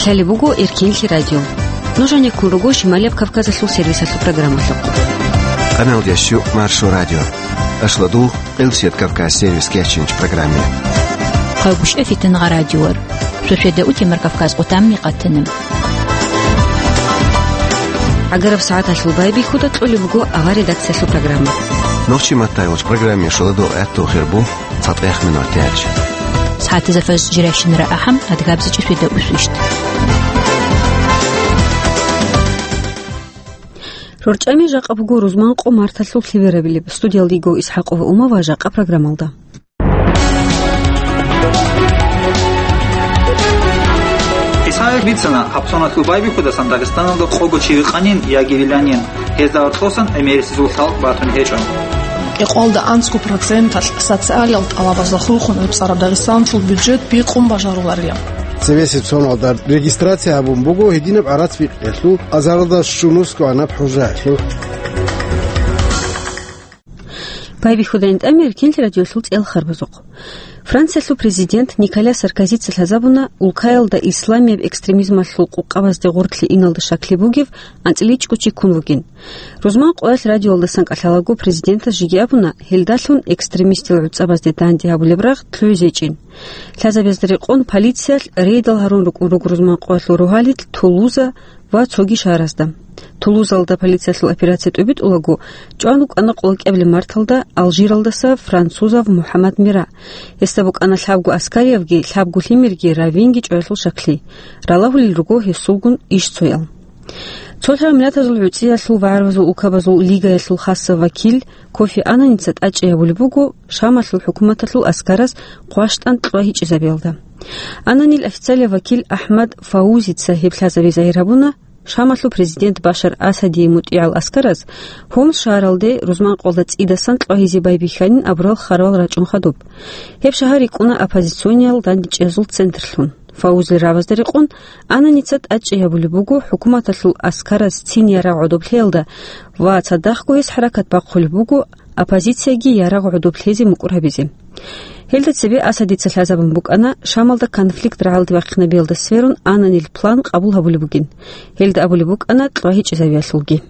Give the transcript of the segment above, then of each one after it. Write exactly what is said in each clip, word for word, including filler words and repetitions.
Гьале буго Эркенлъи радио. Нуж гьанеккун руго Шималияб Кавказалъул сервисалъул программалъухъ. Къаналдящу Маршо радио. Ашладул Къилсият Кавказ сервис кечинч программе. Хъагушев Фитангъа радиор. Шошеда утемар Кавказ къутамми къатана. Агараб сагӀаталъул байбихьуда кьолеб буго авар редакциялъул программа. Нохчи маттай вач программе шоладо гӀатту хирбу. ЦатӀех минутач. СагӀатазда фажр жирайщинара ахӀам, адгабзичӀи шведа усвищт. РорчӀами жакъа буго рузман къо марталъул лъиберабилеб. Студиялда йиго ИсхӀакъова Ума ва жакъа программалда. Исаев бицана, гьабсоналъул байбихьудасан Дагъистаналда къого чи вихъанин яги виланин. Гьезда гьоркьосан гӀемерисезул лъалкӀ батун гьечӀо. Кьекъоялда анцӀго проценталъ социалал тӀалабазда хурхун гӀуцӀараб Дагъистаналъул бюджет бикъун бажаруларила. Цебесеб соналда регистрация гьабун буго гьединаб гӀарац бикъиялъул, азаралда щунусго гьанаб хӀужаялъул. Байбихьудайин тӀамир Эркенлъи радиолъул цӀел харбазухъ. Франциялъул президент Николя Саркозица лъазабуна улкаялда исламияб экстремизмалъул къукъабазде гъорлъе иналда щаклъи бугев анцӀила чӀучи ккун вугин. Рузман къоялъ радиоялдасан кӀалъалаго президентас жеги абуна, гьелдалъун экстремистил гӀуцӀабазде данде гьабулеб рагъ лъугӀизе гьечӀин. Лъазабазда рекъон полициялъ рейдал гьарун рукӀун руго рузман къоялъул рогьалил Тулуза ва цоги шагьаразда. Тулузалда полициялъул операция тӀубитӀулаго, чӀван рукӀана къолокӀабилеб марталда Алжиралдаса французав МухӀаммад Мира. Гьесда букӀана лъабго аскариявги, лъабго лъимерги, равинги чӀваялъул щаклъи. Ралагьулел руго гьесулгун иш цоял. Цолъаралмиллатазул гӀуцӀиялъул ва гӀарабазул улкабазул лигаялъул хасав вакил Кофи Ананица тӀадчӀей гьабулеб буго Шамалъул хӀукуматалъул аскараз хъващтӀан кьвагьичӀезабиялда. Ананил официалияв вакил АхӀмад Фаузица гьеб лъазабизе загьир гьабуна, Шамалъул президент Башар Асадие мутӀигӀал аскараз Хомс шагьаралде рузман къоялда цӀидасан кьвагьизе байбихьанин абурал хъарал рачӀун хадуб. Гьеб шагьар рикӀкӀуна оппозициониял дандечӀезул центрлъун. Фаузил рабазда рекъон, Ананица тӀадчӀей гьабулеб буго хӀукуматалъул аскараз цин ярагъ гӀодоблъиялда ва цадахъго гьес хӀаракат бахъулеб буго оппозицияги ярагъ гӀодоблъизе мукӀур гьабизе. Гьелда цебе Асадица лъазабун букӀана Шамалда конфликт рагӀалде вахъинабиялда сверун Ананил план къабул гьабулеб бугин. Гьелда абулеб букӀана кьвагьичӀезабиялъулги.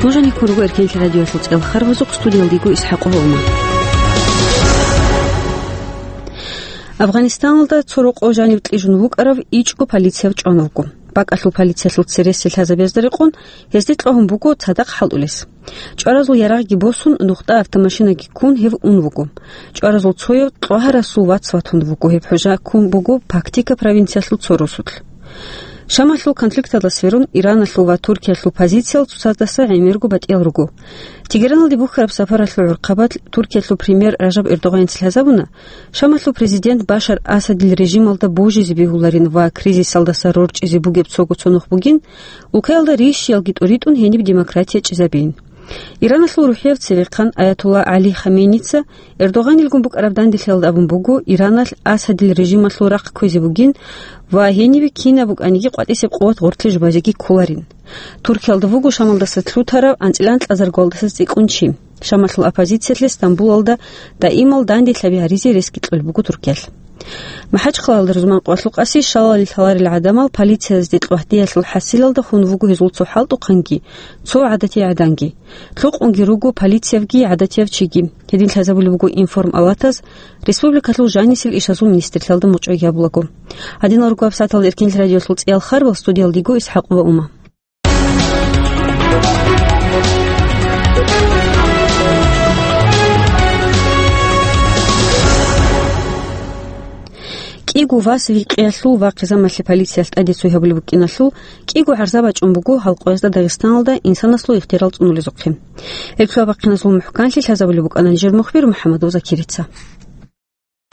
Нуж гьанеккун руго Эркенлъи радиоялъул цӀел харбазухъ, студиялда йиго ИсхӀакъова Ума. Афганистаналда цо рокъов жанив кьижун вукӀарав ичӀго полицияв чӀван вуго. БакӀалъул полициялъул цересел лъазабазда рекъон, гьезде кьвагьун буго цадахъ хӀалтӀулес. ЧӀваразул ярагъги босун, нухда автомашинаги ккун гьев ун вуго. ЧӀваразул цояв кьвагьарасул вац ватун вуго, гьеб хӀужа ккун буго Пактика провинциялъул цо росулъ. Шамалъул конфликталда сверун Ираналъул ва Туркиялъул позициял цоцаздаса гӀемерго батӀиял руго. Тегераналде бухьараб сапаралъул гӀурхъабалъ Туркиялъул премьер Ражаб Эрдогъаница лъазабуна, Шамалъул президент Башар Асадил режималда божизе бегьуларин ва кризисалдаса рорчӀизе бугеб цого цо нух бугин, улкаялда рищиялги тӀуритӀун гьениб демократия чӀезабейин. Ираналъул рухӀияв цевехъан Аятулла ГӀали Хаменийица Эрдогъанилгун букӀараб данделъиялда абун буго, Ираналъ Асадил режималъул рахъ кквезе бугин ва гьенибе кинаб букӀаниги къватӀисеб къуват гъорлъе жубазеги кколарин. Туркиялда вуго Шамалдаса лъутарав анцӀила анкьазарго валдаса цӀикӀкӀун чи. Шамалъул оппозициялъе Стамбулалда даимал данделъаби гьаризе ресги кьолеб буго Туркиялъ. МахӀачхъалаялда рузман къоялъул къаси шалалил лъаларел гӀадамал полициязде кьвагьдиялъул хӀасилалда хун вуго гьезул цо хӀалтӀухъанги, цо гӀадатияв гӀаданги. Лъукъунги руго полициявги гӀадатияв чиги. Гьедин лъазабулеб буго информалатаз республикалъул жанисел ишазул министрлъиялда мучӀаги гьабулаго. Гьадинал руго гьабсагӀаталда Эркенлъи радиоялъул цӀиял харбал, студиялда йиго ИсхӀакъова Ума. КӀиго вас викъиялъул ва хъизамалъе полициялъ тӀаде цой гьабулеб букӀиналъул кӀиго гӀарза бачӀун буго гьал къоязда Дагъистаналда инсанасул ихтиярал цӀунулезухъе. Гьеб лъугьа-бахъиназул мухӀканлъи лъазабулеб букӀана нижер мухбир МухӀаммадов Закирица.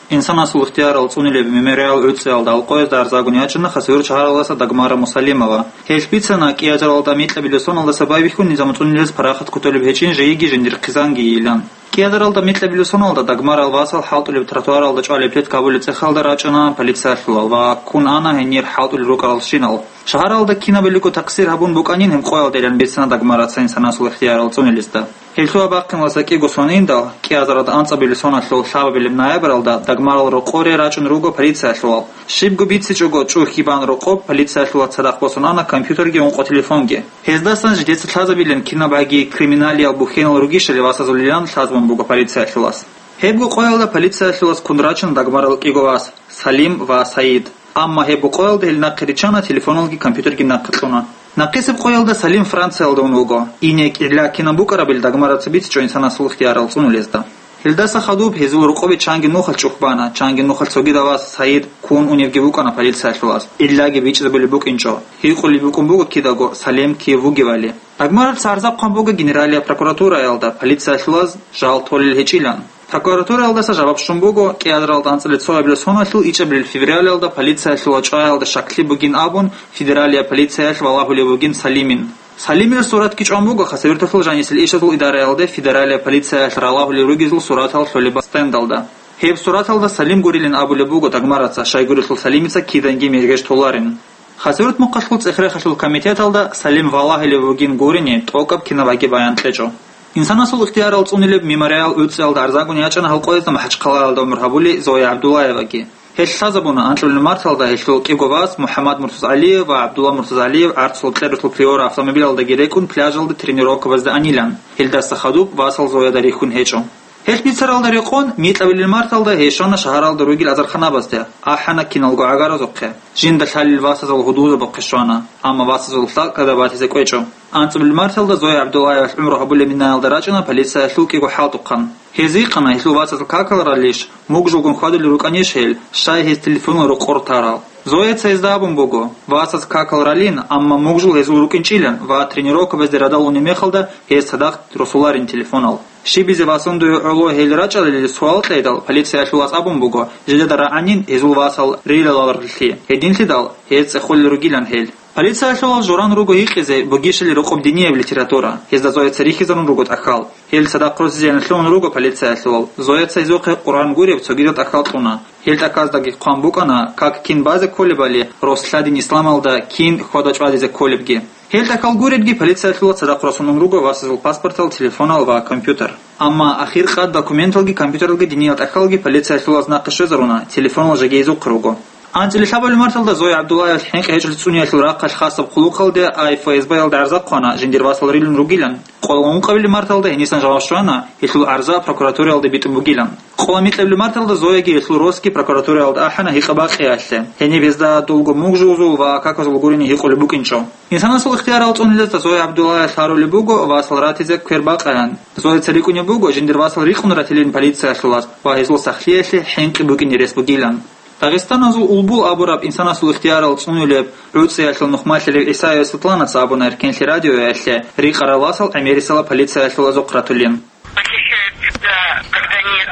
Инсанасул ихтиярал цӀунилеб мемориал гӀуцӀиялда гьал къоязда гӀарзагун ячӀана Хасавюрт шагьаралдаса Дагмара Мусалимова. Гьелъ бицана, кӀиазаралда микьабилеб соналдаса байбихьун низам цӀунилез парахат кутулеб гьечӀин жеги жиндир хъизанги йилан. КӀиазаралда микьабилеб соналда Дагмарал васал хӀалтӀулеб тротуаралда чӀвалеб плитка абулеб цӀехалда рачӀана полициялъулал ва ккун ана гьенир хӀалтӀулел рукӀаралщинал. Шагьаралда кинабилего такъсир гьабун букӀанин гьеб къоялдайилан бицана Дагмараца инсанасул ихтиярал цӀунилезда. Гьелъул бахъиналдаса кӀиго сон индал, кӀиазаралда анцӀабилеб соналъул лъабабилеб ноябралда Дагмарал рокъоре рачӀун руго полициялъулал. Щибго бицичӀого чӀухьги бан рокъоб, полициялъулаз цадахъ босун ана компьютерги ункъо телефонги. Гьездасан жидеца лъазабилин кинабгӀаги криминалиял бухьенал ругищали васазулилан лъазабун буго полициялъулаз. Гьебго къоялда полициялъулаз ккун рачана Дагмарал кӀиго вас, Салим ва Саид. Амма гьебго къоялда гьел нахъе риччана телефоналги компьютерги нахъе кьуна. Нахъисеб къоялда Салим Франциялда ун вуго. Ине кӀилла кинаб букӀарабил Дагмараца бицичӀо инсанасул ихтиярал цӀунулезда. Гьелдаса хадуб гьезул рокъобе чанги нухалъ чӀухь бана, чанги нухалъ цогидав вас Саид ккун уневги вукӀана полициялъулаз, иллаги бичӀчӀизабулеб букӀинчӀо. Гьикъулеб букӀун буго кидаго Салим кив вугевали. Дагмараца гӀарза хъван буго Генералияб прокуратураялда, полициялъулаз жал толел гьечӀилан. Прокуратураялдаса жаваб щун буго, кӀиазаралда анцӀабилеб цоябилеб соналъул ичӀабилеб февралялда полициялъул вачӀаялда щаклъи бугин абун, федералияб полициялъ валагьулев вугин Салимин. Салимил суратги чӀван буго Хасавюрталъул жанисел ишазул идараялде федералияб полициялъ ралагьулел ругезул суратал лъолеб стендалда. Гьеб сураталда Салим гурилин абулеб буго Дагмараца, щайгурелъул Салимица киданги мергеж толарин. Хасавюрт мухъалъул цӀех-рехалъул комитеталда Салим валагьулев вугин гурони тӀокӀаб кинабгӀаги баян кьечӀо. Инсанасул ихтиярал цӀунилеб мемориал гӀуцӀиялда гӀарзагун ячӀана гьал къоязда МахӀачхъалаялда гӀумру гьабулей Зоя ГӀабдуллаеваги. Гьелъ лъазабуна анцӀабилеб марталда гьелъул кӀиго вас МухӀаммад Муртазалиев ва ГӀабдулла Муртазалиев гӀарцул кьерулъул Приора автомобилалдаги рекӀун пляжалда тренировкабазда анилан. Гьелдаса хадуб васал Зояда рихьун гьечӀо. Гьелъ бицаралда рекъон, микьабилеб марталда гьей щвана шагьаралда ругел азарханабазде, ахӀана киналго гӀагаразухъе. Жинда лъалел васазул гьудулзабухъе щвана, амма васазул лъалкӀкӀада батизе кӀвечӀо. АнцӀабилеб марталда Зоя ГӀабдуллаевалъ гӀумру гьабулеб минаялда рачӀана полициялъул кӀиго хӀалтӀухъан. Гьез гьикъана, гьелъул васазул какал ралищ, мугжулгун хьвадулел рукӀанищ гьел, щай гьез телефонал рокъор тарал. Зояца гьезда абун буго, васаз какал ралин, амма мугжул гьезул рукӀинчӀилан ва тренировкабазде радал унеб мехалда гьез цадахъ росуларин телефонал. Щибизе васун дуе гӀоло гьел рачӀалилан суал кьейдал, полициялъулаз абун буго, жидеда рагӀанин гьезул васал рилаларилъи, гьединлъидал гьез цӀехолел ругилан гьел. Полициялъулал журан руго гьикъизе бугищали рокъоб динияб литература, гьезда Зояца рихьизарун руго тӀахьал. Гьел цадахъ росизе лъугьун руго полициялъулал, Зояца гьезухъе Къуръан гуреб цогидал тӀахьал кьуна. Гьел тӀахьаздаги хъван букӀана, как кин базе кколебали, рос лъадин исламалда кин хьвада-чӀвадизе кколебги. Гьел тӀахьал гуредги полициялъулал цадахъ росун ун руго васазул паспортал, телефонал ва компьютер. Амма ахиркъад документалги компьютералги диниял тӀахьалги полициялъулаз нахъе щвезаруна, телефонал жеги гьезухъе руго. АнцӀила лъабабилеб марталда Зоя ГӀабдуллаевалъ хӀинкъи гьечӀолъи цӀунеялъул рахъалъ хасаб хъулухъалде АФСБ-ялда гӀарза хъвана, жиндир васал рилун ругилан. Къоло ункъабилеб марталда гьенисан жаваб щвана, гьелъул гӀарза прокуратураялде битӀун бугилан. Къоло микьабилеб марталда Зояги гьелъул росги прокуратураялда ахӀана гьикъа-бакъиялъе, гьениб гьезда дулго мугжулзул ва каказул гурони гьикъулеб букӀинчӀо. Инсанасул ихтиярал цӀунилезда Зоя ГӀабдуллаевалъ гьарулеб буго васал ратизе квер бакъаян. Зояца рикӀкӀунеб буго жиндир васал рикъун ратилин полициялъулаз ва гьезул сахлъиялъе хӀинкъи букӀине рес бугилан. Дагъистаназул Улбул абураб инсанасул ихтиярал цӀунулеб гӀуцӀиялъул нухмалъарав ГӀисаев Светланаца абуна Эркенлъи радиоялъе, рикъарал васал гӀемерисела полициялъул азухъ ратулин. Похищают, да, когда нет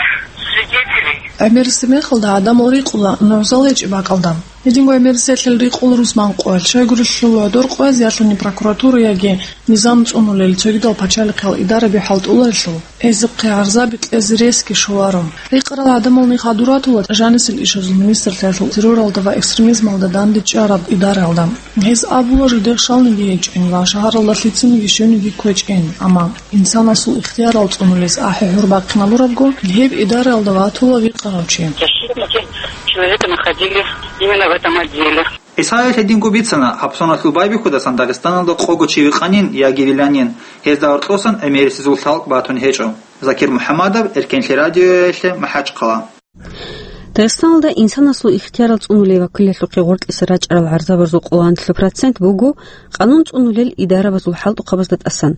свидетелей. ГӀемерисеб мехалда гӀадамал рикъула нугӀзал гьечӀеб бакӀалда. Гьединго гӀемерисеялъ рикъула рузман къоялъ, щайгурелъул гӀодор къояз ялъуни прокуратура яги низам цӀунулел цогидал пачалихъал идараби хӀалтӀуларелъул, гьезухъе гӀарзаби кьезе ресги щоларо. Рикъарал гӀадамал ниж гьадур ратула жанисел ишазул министрлъиялъул терроралда ва экстремизмалда дандечӀараб идараялда. Гьез абула жидер щалниги гьечӀин ва шагьаралда лъицаниги щивниги кквечӀин, амма инсанасул ихтиярал цӀунулес ахӀи-гьур бахъиналурабго, гьеб идараялда ватула вихъарав чи. Защитники человека находились именно в этом отделе. ГӀисаев гьединго бицана, гьаб соналъул байбихьудасан Дагъистаналда къого чи вихъанин яги виланин, гьезда гьоркьосан гӀемерисезул лъалкӀ батун гьечӀо. Закир МухӀамадов, Эркенлъи радиоялъе, МахӀачхъала. Дагъистаналда инсанасул ихтиярал цӀунулей вакилалъухъе гъоркьиса рачӀарал гӀарзабазул къоло нилъ процент буго къанун цӀунулел идарабазул хӀалтӀухъабазда тӀасан.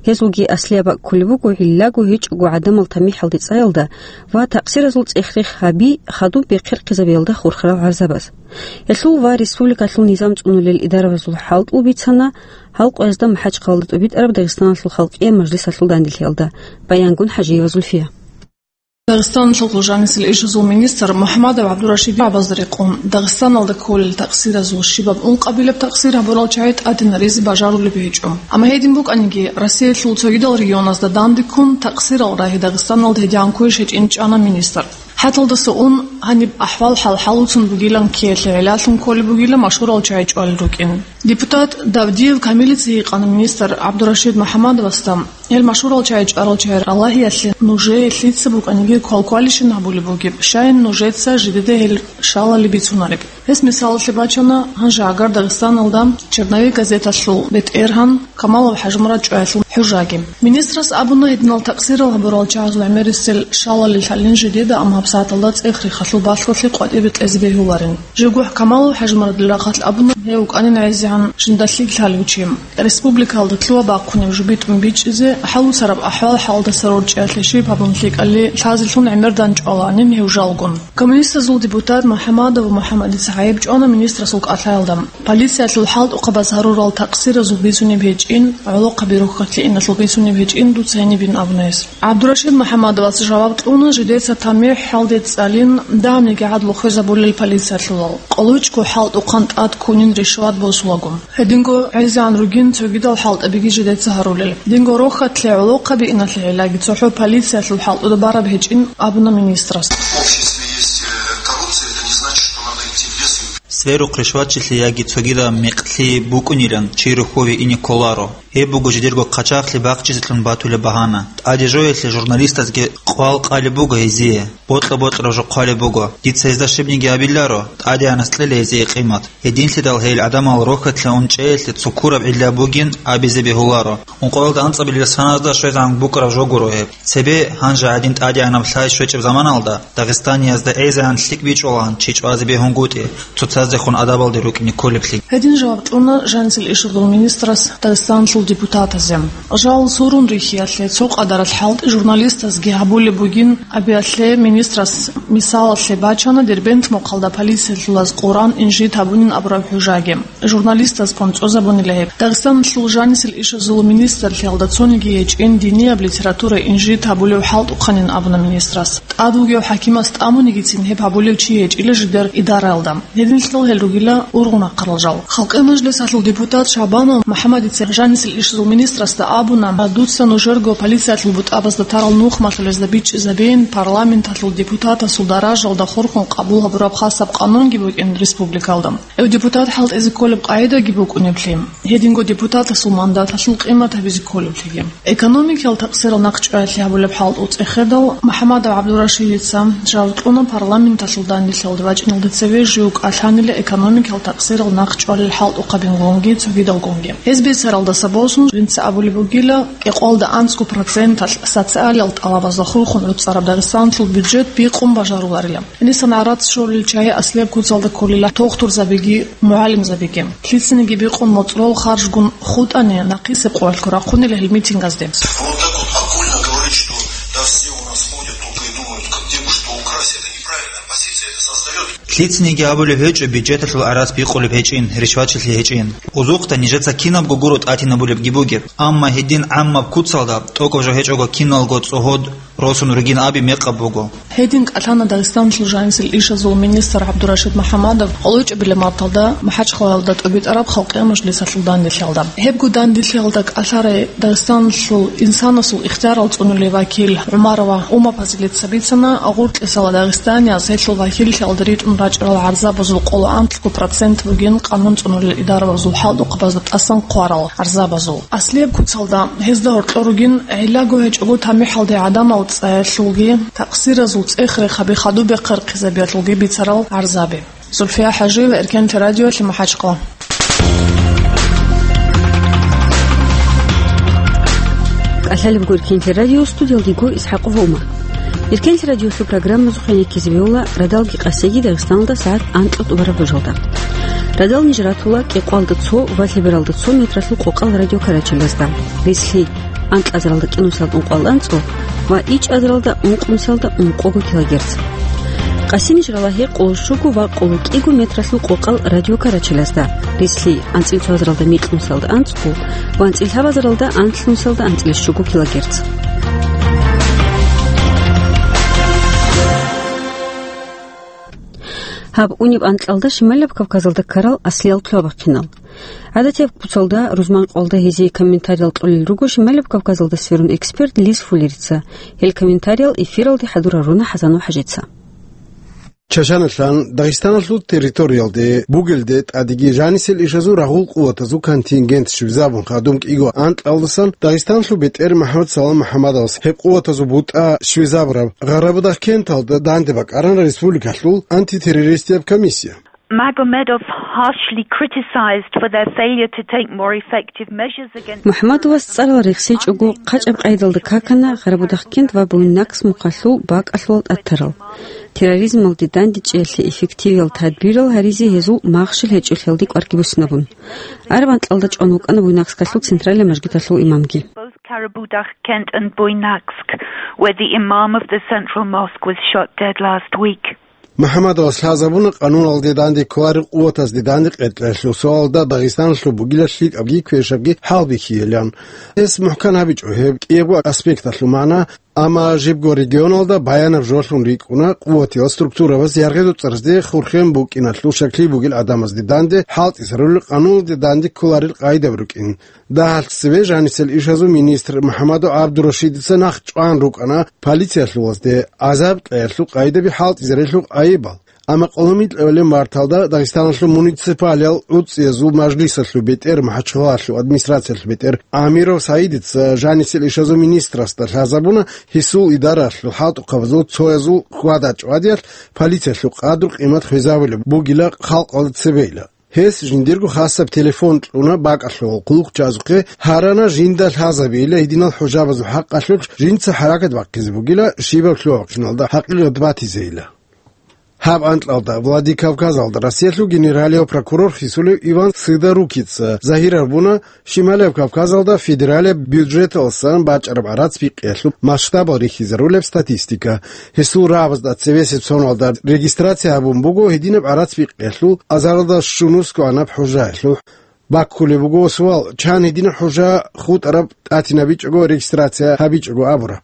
Гьез вуги аслияб бакӀ кколеб буго гӀиллаго гьечӀого гӀадамал тамихӀалде цӀаялда ва такъсиразул цӀех-рех гьаби хадуб бехъерхъизабиялда хурхарал гӀарзабаз. Гьелъул ва республикалъул низам цӀунулел идарабазул хӀалтӀул бицана гьал къоязда МахӀачхъалалда тӀубитӀараб Дагъистаналъул халкъиял мажлисалъул данделъиялда. Баянгун ХӀажиева Зульфия. Дагъистаналъул жанисел ишазул министр МухӀамадов ГӀабдурашид абазда рекъон, Дагъистаналда кколел такъсиразул щибаб ункъабилеб такъсир гьабурал чагӀи тӀадинаризе бажарулеб гьечӀо. Амма гьедин букӀаниги, Россиялъул цогидал регионазда данде ккун такъсирал рагьи Дагъистаналда гьедигӀан кквеш гьечӀин чӀана министр. ХӀаталдаса ун гьаниб ахӀвал-хӀал хӀалуцун бугилан ккеялъе гӀиллалъун кколеб бугила машгьурал чагӀи чӀвалел рукӀин. Депутат Давдиев Камилица гьикъана министр ГӀабдурашид МухӀаммадовасда, гьел машгьурал чагӀи чӀварал чагӀи Аллагьиялъе нужее лъица букӀаниги квалквалищин гьабулеб бугеб, щайин нужеца жидеда гьел шалали бицунареб. Гьес мисалалъе бачана гьанже гӀагар Дагъистаналда «Черновик» газеталъул бетӀергьан Камалов ХӀажимурад чӀваялъул хӀужаги. Министрас абуна, гьединал такъсирал гьабурал чагӀазул гӀемерисел шалали лъалин жидеда, амма гьабсагӀаталда цӀех-рехалъул балъголъи къватӀибе кьезе бегьуларин. Жив гурхӀ Камалов ХӀажимурадил рахъалъ абуна, гьев вукӀанин гӀезегӀан жинда лъикӀ лъалев чи. Республикалда лъугьа-бахъунеб жо битӀун бичӀчӀизе, хӀалуцараб ахӀвал-хӀалдаса рорчӀиялъе щиб гьабун лъикӀали лъазелъун гӀемер дандчӀвалаанин гьев жалгун. Коммунистазул депутат МухӀаммадов МухӀаммадица гӀайиб чӀвана министрасул кӀалъаялда. Полициялъул хӀалтӀухъабаз гьарурал такъсиразул бицунеб гьечӀин, гӀолохъаби рохьалъе иналъул бицунеб гьечӀин дуца гьенибин абуна гьес. ГӀабдурашид МухӀаммадовас жаваб кьуна, жидеца тамихӀ хӀалде цӀалин, дагьабниги гӀадлу хвезабулел полициялъулал, къолочго хӀалтӀухъан тӀад ккунин ришват босулаго. Гьединго гӀезегӀан ругин цогидал хӀалтӀабиги жидеца гьарулел. Динго рохьалъе, гӀолохъаби иналъе гӀиллаги цохӀо полициялъул хӀалтӀуда бараб гьечӀин абуна министрас. В обществе есть, э, коррупция, это не значит, что надо идти в лес и Сверухъ ришватчилъи яги цогидаб мекълъи букӀунилан чи рухьове ине кколаро. Гьеб буго жидерго хъачагълъи бахчизелъун батулеб багьана. ТӀаде жоялъе журналистазги къвал къалеб буго гьезие, бокьа-бокьараб жо хъвалеб буго. Дица гьезда щибниги абиларо, тӀадегӀанас кьела гьезие къимат. Гьединлъидал гьел гӀадамал рохьалъе унчӀеялъе цо ккураб гӀилла бугин абизе бегьуларо. Ункъоялда анцӀабилеб саназда щвезегӀан букӀараб жо гуро гьеб. Цебе гьанже гьадин тӀадегӀанаб лъай щвечӀеб заманалда Дагъистаниязда гӀезегӀан лъикӀ бичӀчӀулаан чи чӀвазе бегьунгутӀи, цоцаздехун адабалде рукӀине кколеблъи. Гьедин жаваб кьуна жанисел ишазул министрас Дагъистаналъул депутатазе. Жал сурун рихьиялъе цо къадаралъ хӀалтӀи журналистазги гьабулеб бугин абиялъе министрас мисалалъе бачана Дербент мухъалда полициялъулаз Къуран инжит гьабунин абураб хӀужаги. Журналистаз къонцӀозабунила гьеб. Дагъистаналъул жанисел ишазул министрлъиялда цониги гьечӀин динияб литература инжит гьабулев хӀалтӀухъанин абуна министрас. ТӀад вугев хӀакимас тӀамунигицин гьеб гьабулев чи гьечӀила жидер идараялда. Гьединлъидал гьел ругила ургъун ахъарал жал. Халкъи мажлисалъул депутат Шабанов МухӀаммадица жанисел ишазул министрасда абуна, дуца нужерго полициялъул бутӀабазда тарал нухмалъулезда бичӀчӀизабейин парламенталъул депутатасул даражалда хурхун къабул гьабураб хасаб къанунги букӀин республикалда. Гьев депутат хӀалтӀизе кколеб къагӀидаги букӀунеблъи, гьединго депутатасул мандаталъул къимат гьабизе кколеблъиги. Экономикиял такъсирал нахъчӀваялъе гьабулеб хӀалтӀул цӀехедал МухӀаммадов ГӀабдурашидица жаваб кьуна парламенталъул данделъиялде вачӀиналде цеве жив кӀалъанила экономикиял такъсирал нахъчӀвалел хӀалтӀухъабингунги цогидалгунги. Гьез бицаралдаса босун жинца абулеб бугила, кӀикъвалда анцӀго проценталъ социалиял тӀалабазда хурхун гӀуцӀараб Дагъистаналъул бюджет бикъун бажаруларила. Гьенисан гӀарац щолел чагӀи аслияб куцалда кколила дохтурзабиги, мугӀалимзабиги. Лъицаниги бикъун моцӀрол харжгун хутӀани, нахъисеб къоялъго рахъунила гьел митингазде. Вот так вот окольно говорить, что да, все у нас ходят только и думают, как где бы что украсть, это неправильная позиция, это создаёт. Лъицаниги абулеб гьечӀо бюджеталъул гӀарац бикъулеб гьечӀин, ришватчилъи гьечӀин. Узухъда нижеца кинабго гуро тӀатинабулебги бугеб, амма гьедин гӀаммаб куцалда тӀокӀаб жо гьечӀого киналго цӀогьод росун ругин аби мекъаб буго. Гьедин кӀалъана Дагъистаналъул жанисел ишазул министр ГӀабдурашид МухӀаммадов къоло чӀебилеб марталда МахӀачхъалаялда тӀубитӀараб Халкъиял мажлисалъул данделъиялда. Гьебго данделъиялда кӀалъарай Дагъистаналъул инсанасул ихтиярал цӀунулев вакил ГӀумарова Ума Пазилица бицана, гъуркьисала дагъистанияз гьелъул вакиллъиялда ритӀун рачӀарал гӀарзабазул къоло анлъго процент бугин къанун цӀунулел идарабазул хӀалтӀухъабазда тӀасан хъварал гӀарзабазул. Аслияб куцалда гьезда гьоркьор ругин гӀиллаго гьечӀого тамихӀалде гӀадамал цӀаялъулги, такъсиразул цӀех-рехаби хадуб бехъерхъизабиялъулги бицарал гӀарзаби. Зульфия ХӀажиева, Эркенлъи радиолъи, МахӀачхъала. КӀалъалебго Эркенлъи радио, студиялдего ИсхӀакъова Ума. Эркенлъи радиолъул программазухъе ккезе бегьула радалги къасиги Дагъистаналда сагӀат анкьа тӀубараб божалда. Радал ниж ратула кӀикъвалда цо ва лъебералда цо метралъул къокъал радиокарачелазда. Рислъи анкьазаралда кӀинусиялда ункъоялда анцӀго ва ичӀазаралда ункънусиялда ункъого килогерц. Къаси ниж рала гьекъоло щуго ва къоло кӀиго метралъул къокъал радиокарачелазда. Рислъи анцӀил цоазаралда микьнусиялда анцӀго ва анцӀил лъабазаралда анлънусиялда анцӀил щуго килогерц. Гьаб унеб анкьалда Шималаб Кавказалда ккарал аслиял лъугьа-бахъинал. ГӀадатияб куцалда, рузман къвалда гьезие комментариял кьолел руго Шималаб Кавказалда сверун эксперт Лис Фуллерица. Гьел комментариял эфиралде хӀадур гьаруна ХӀасан ХӀажица. Чачаналъан Дагъистаналъул территориялде бугелде тӀадеги жанисел ишазул рагъул къуватазул контингент щвезабун хадуб кӀиго анкьалдасан Дагъистаналъул бетӀер МахӀмад Салам МухӀаммадовас гьеб къуватазул бутӀа щвезабураб Гъарабудагъкенталда данде бакӀарана республикалъул антитеррористияб комиссия. Magomedov harshly criticized for their failure to take more effective measures against МухӀаммадовас цӀарал рехсечӀого, хъачӀаб къайдалда какана Гъарабудагъкент ва Буйнакск мухъалъул бакӀалъул тӀатарал. Терроризмалде дандечӀеялъе эффективиял тадбирал гьаризе гьезул махщел гьечӀолъиялде кӀварги буссинабун. Араб анкьалда чӀван вукӀана Буйнакскалъул централияб мажгиталъул имамги. Both Karabudagh-Kent and Buynaksk, where the imam of the central mosque was shot dead last week. МухӀаммадовас лъазабуна къануналде данде кколарел къуватазде данде къеркьеялъул суалалда Дагъистаналъул бугила лъикӀабги квешабги хӀалбихьейилан. Гьес мухӀкан гьабичӀо гьеб кӀиябго аспекталъул магӀна, амма жибго регионалда баянаб жолъун рикӀкӀуна къуватиял структурабаз яргъи-дуцӀарзде хурхен букӀиналъул щаклъи бугел гӀадамазде данде хӀалтӀизарулел къануналде данде кколарел къагӀидаби рукӀин. Дагьалъ цеве жанисел ишазул министр МухӀаммадов ГӀабдурашидица нахъ чӀван рукӀана полициялъулазде гӀазаб кьеялъул къайдаби хӀалтӀизарелъул айибал. Амма къоло микьабилеб марталда Дагъистаналъул муниципалиял гӀуцӀиязул мажлисалъул бетӀер, МахӀачхъалалъул администрациялъул бетӀер Амиров Саидица жанисел ишазул министрасда лъазабуна гьесул идараялъул хӀалтӀухъабазул цоязул хьвада-чӀвадиялъ полициялъул къадру-къимат хвезабулеб бугила халкъалда цебейила. Гьес жиндирго хасаб телефон кьуна бакӀалъул хъулухъчазухъе, гьарана жинда лъазабейила гьединал хӀужабазул хӀакъалъулъ жинца хӀаракат бахъизе бугила, щибаб лъугьа-вахъиналда хӀакъикъат батизейила. Гьаб анкьалда Владикавказалда Россиялъул генералияв прокурор хисулев Иван Сыдорукица загьир гьабуна, Шималияб Кавказалда федералияб бюджеталдасан бачӀараб гӀарац бикъиялъул масштабал рихьизарулеб статистика. Гьесул рагӀабазда цевесеб соналда регистрация гьабун буго гьединаб гӀарац бикъиялъул азаралда щунусго гӀанаб хӀужаялъул. Баккулеб буго суал, чан гьединаб хӀужа хутӀараб тӀатинабичӀого, регистрация гьабичӀого абураб.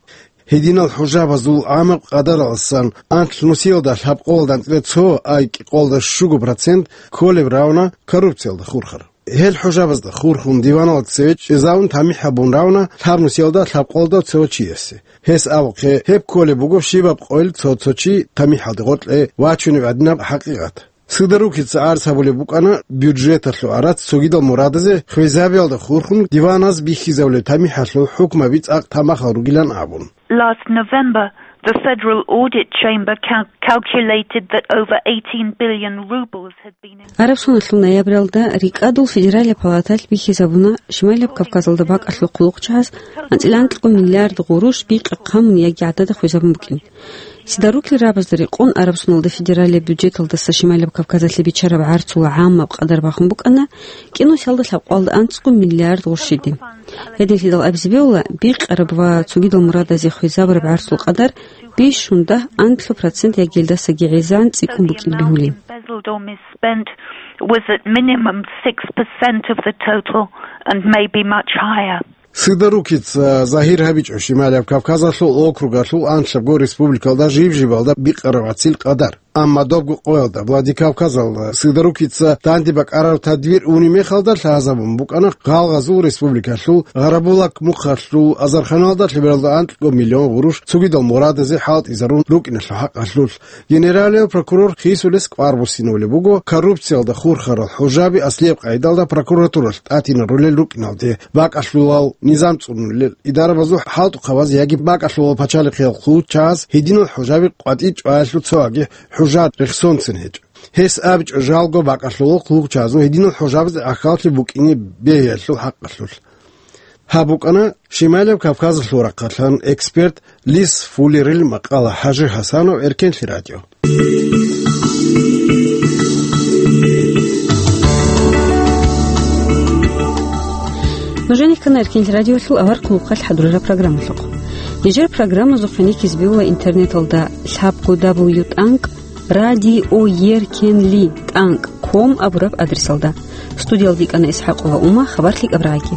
Гьединал хӀужабазул гӀамаб къадаралдасан анлънусиялда лъабкъоялда анцӀила цо, ай кӀикъоялда щуго процент кколеб равна коррупциялда хурхар. Гьел хӀужабазда хурхун диваналда цеве чӀезавун тамихӀ гьабун равна лъабнусиялда лъабкъоялда цо чиясе. Гьес абухъе, гьеб кколеб буго щибаб къойил цо-цо чи тамихӀалде гъоркье вачунеб гӀадинаб хӀакъикъат. Сыдорукица гӀарц гьабулеб букӀана бюджеталъул гӀарац цогидал мурадазе хвезабиялда хурхун диваназ бихьизабулеб тамихӀалъул хӀукмаби цӀакъ тамахал ругилан абун. Last November, the Federal Audit Chamber cal-, calculated that over eighteen billion rubles had been in Араб соналъул ноябралда рикӀкӀадул федералияб палаталъ бихьизабуна Шималияб Кавказалда бакӀалъул хъулухъчагӀаз анцӀила анкьго миллиард гъурущ бикъи хъамун яги гӀадада хвезабун букӀин. Сыдорукил рагӀабазда рекъон Араб соналда федералияб бюджеталдаса Шималияб Кавказалъе бичараб гӀарцул гӀаммаб къадар бахун букӀана кӀинусиялда лъабкъоялда анцӀго миллиард гъурщиде. Гьединлъидал абизе бегьула, бикъараб ва цогидал мурадазе хвезабураб гӀарцул къадар бищун дагь-анлъго процент яги гьелдасаги гӀезегӀан цӀикӀкӀун букӀин бегьулин. Embezzled or misspent was at minimum six percent of the total and maybe much higher. Сыдорукица загьир гьабичӀо Шималияб Кавказалъул округалъул анлъабго республикалда жиб-жибалда бикъараб гӀарцил къадар. Амма добго къоялда Владикавказалда Сыдорукица данде бакӀараб тадбир унеб мехалда лъазабун букӀана гъалгъазул республикалъул Гъарабулак мухъалъул азарханалда лъебералда анкьго миллион гъурущ цогидал мурадазе хӀалтӀизарун рукӀиналъул хӀакъалъулъ. Генералияв прокурор хисулес кӀвар буссинабулеб буго коррупциялда хурхарал хӀужаби аслияб къайдалда прокуратуралъ тӀатинарулел рукӀиналде, бакӀалъулал низам цӀунулел идарабазул хӀалтӀухъабаз яги бакӀалъулал пачалихъиял хъулчагьаз гьединал хӀужаби къватӀи чӀваялъул цоги хӀужа рехсонцин гьечӀо. Гьес абичӀо жалго бакӀалъулал хъулчагьазул гьединал хӀужабазе ахьаллъи букӀине бегьиялъул хӀакъалъулъ. Гьаб букӀана Шималияб Кавказалъул рахъалъан эксперт Лис Фуллерил макъала. ХӀажи Гьасанов, Эркенлъи радио. Нужеца ккана Эркенлъи радиолъул авар хъулухъалъ хӀадурараб программалъухъ. Нижер программазухъе никиз бегьула интернеталда лъабго дабл ю тӀанкӀ радиоеркенлъи тӀанкӀ ком абураб адресалда. Студиялда йикӀана ИсхӀакъова Ума, хабар лъикӀаб рагӀаги.